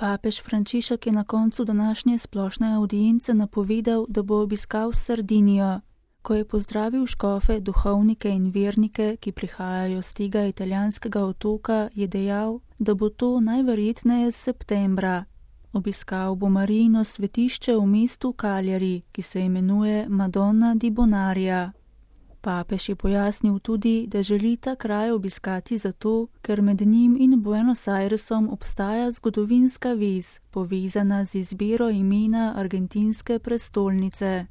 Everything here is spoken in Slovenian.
Papež Frančišek je na koncu današnje splošne avdience napovedal, da bo obiskal Sardinijo. Ko je pozdravil škofe, duhovnike in vernike, ki prihajajo z tega italijanskega otoka, je dejal, da bo to najverjetneje septembra. Obiskal bo Marijino svetišče v mestu Cagliari, ki se imenuje Madonna di Bonaria. Papež je pojasnil tudi, da želi ta kraj obiskati zato, ker med njim in Buenos Airesom obstaja zgodovinska vez, povezana z izbiro imena argentinske prestolnice.